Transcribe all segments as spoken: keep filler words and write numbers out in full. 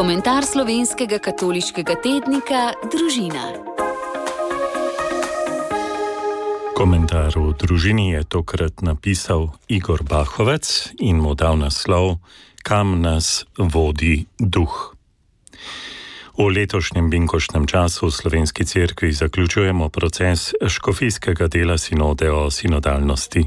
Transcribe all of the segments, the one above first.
Komentar slovenskega katoliškega tednika Družina. Komentar v Družini je tokrat napisal Igor Bahovec in mu dal naslov Kam nas vodi duh. V letošnjem binkoštnem času v Slovenski cerkvi zaključujemo proces škofijskega dela sinode o sinodalnosti.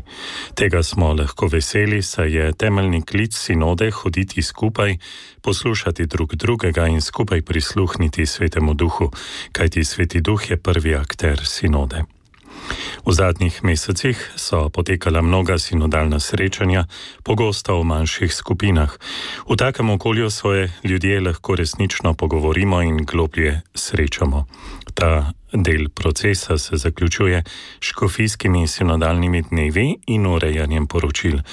Tega smo lahko veseli, saj je temeljni klic sinode hoditi skupaj, poslušati drug drugega in skupaj prisluhniti Svetemu Duhu, kajti Sveti Duh je prvi akter sinode. V zadnjih mesecih so potekala mnoga sinodalna srečanja, pogosto v manjših skupinah. V takem okolju svoje ljudje lahko resnično pogovorimo in globlje srečamo. Ta del procesa se zaključuje s škofijskimi sinodalnimi dnevi in urejanjem poročil.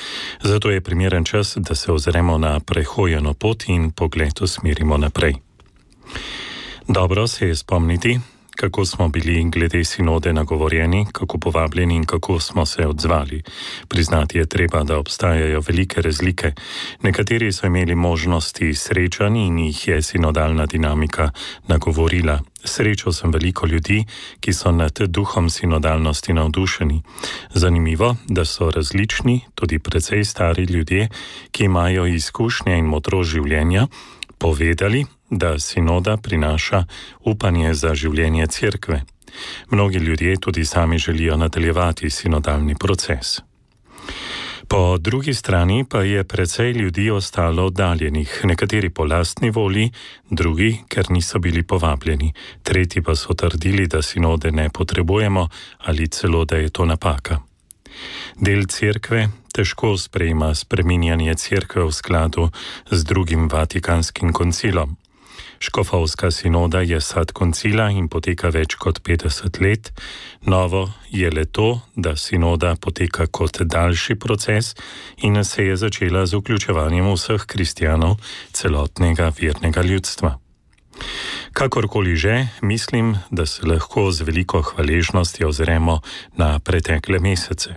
Zato je primeren čas, da se ozremo na prehojeno pot in pogled usmerimo naprej. Dobro se je spomniti, kako smo bili glede sinode nagovorjeni, kako povabljeni in kako smo se odzvali. Priznati je treba, da obstajajo velike razlike. Nekateri so imeli možnosti srečanj in jih je sinodalna dinamika nagovorila. Srečal sem veliko ljudi, ki so nad duhom sinodalnosti navdušeni. Zanimivo, da so različni, tudi precej stari ljudje, ki imajo izkušnje in modrost življenja, povedali, da sinoda prinaša upanje za življenje cerkve. Mnogi ljudje tudi sami želijo nadaljevati sinodalni proces. Po drugi strani pa je precej ljudi ostalo oddaljenih, nekateri po lastni volji, drugi, ker niso bili povabljeni, tretji pa so trdili, da sinode ne potrebujemo ali celo, da je to napaka. Del cerkve težko sprejema spreminjanje cerkve v skladu z drugim Vatikanskim koncilom. Škofovska sinoda je sad koncila in poteka več kot petdeset let. Novo je le to, da sinoda poteka kot daljši proces in se je začela z vključevanjem vseh kristjanov, celotnega vernega ljudstva. Kakorkoli že, mislim, da se lahko z veliko hvaležnostjo ozremo na pretekle mesece.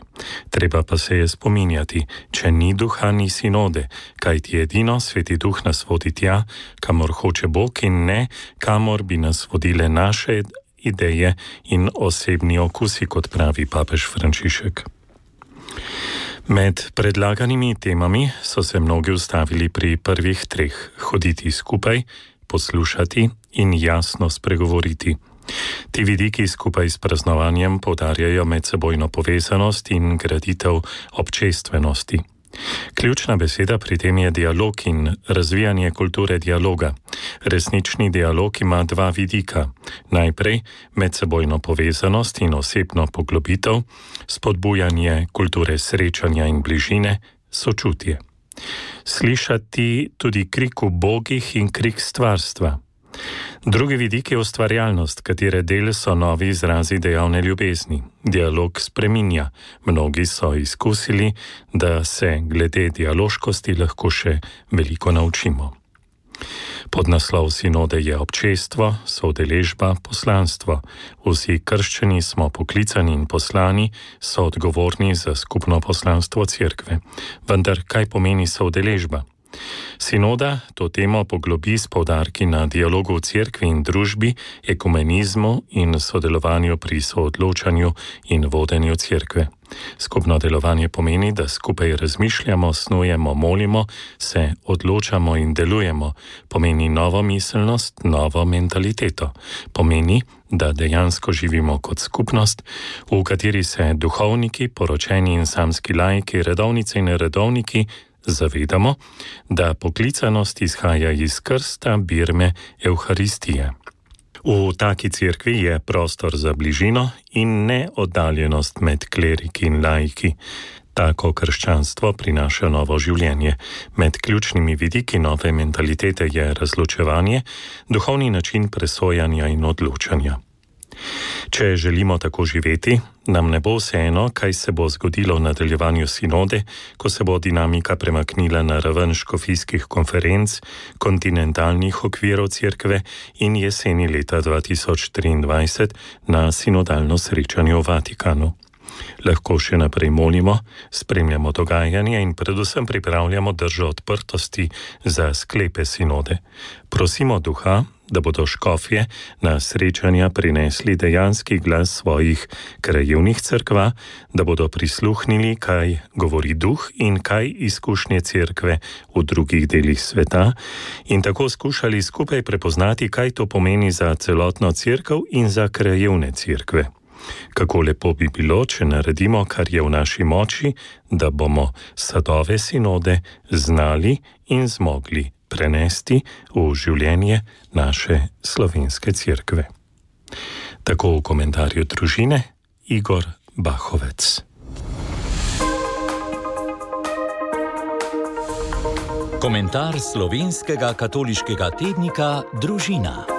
Treba pa se je spominjati, če ni duha, ni sinode, kajti edino Sveti Duh nas vodi tja, kamor hoče Bog in ne, kamor bi nas vodile naše ideje in osebni okusi, kot pravi papež Frančišek. Med predlaganimi temami so se mnogi ustavili pri prvih treh: hoditi skupaj, poslušati in jasno spregovoriti. Ti vidiki skupaj s praznovanjem poudarjajo medsebojno povezanost in graditev občestvenosti. Ključna beseda pri tem je dialog in razvijanje kulture dialoga. Resnični dialog ima dva vidika. Najprej medsebojno povezanost in osebno poglobitev, spodbujanje kulture srečanja in bližine, sočutje. Slišati tudi krik ubogih in krik stvarstva. Drugi vidik je ustvarjalnost, katere del so novi izrazi dejavne ljubezni. Dialog spreminja. Mnogi so izkusili, da se glede dialoškosti lahko še veliko naučimo. Podnaslov sinode je občestvo, soudeležba, poslanstvo. Vsi krščani smo poklicani in poslani, so odgovorni za skupno poslanstvo cerkve. Vendar kaj pomeni soudeležba? Sinoda to temo poglobi s poudarki na dialogu v cerkvi in družbi, ekumenizmu in sodelovanju pri soodločanju in vodenju cerkve. Skupno delovanje pomeni, da skupaj razmišljamo, snujemo, molimo, se odločamo in delujemo. Pomeni novo miselnost, novo mentaliteto. Pomeni, da dejansko živimo kot skupnost, v kateri se duhovniki, poročeni in samski laiki, redovnice in redovniki zavedamo, da poklicanost izhaja iz krsta, birme, evharistije. V taki cerkvi je prostor za bližino in ne oddaljenost med kleriki in laiki. Tako krščanstvo prinaša novo življenje. Med ključnimi vidiki nove mentalitete je razločevanje, duhovni način presojanja in odločanja. Če želimo tako živeti, nam ne bo vseeno, kaj se bo zgodilo v nadaljevanju sinode, ko se bo dinamika premaknila na raven škofijskih konferenc, kontinentalnih okvirov cerkve in jeseni leta dva tisoč triindvajset na sinodalno srečanje v Vatikanu. Lahko še naprej molimo, spremljamo dogajanje in predvsem pripravljamo držo odprtosti za sklepe sinode. Prosimo duha, da bodo škofje na srečanja prinesli dejanski glas svojih krajevnih cerkva, da bodo prisluhnili, kaj govori duh in kaj izkušnje cerkve v drugih delih sveta in tako skušali skupaj prepoznati, kaj to pomeni za celotno cerkev in za krajevne cerkve. Kako lepo bi bilo, če naredimo, kar je v naši moči, da bomo sadove sinode znali in zmogli prenesti v življenje naše slovenske cerkve. Tako v komentarju družine Igor Bahovec. Komentar slovenskega katoliškega tednika Družina.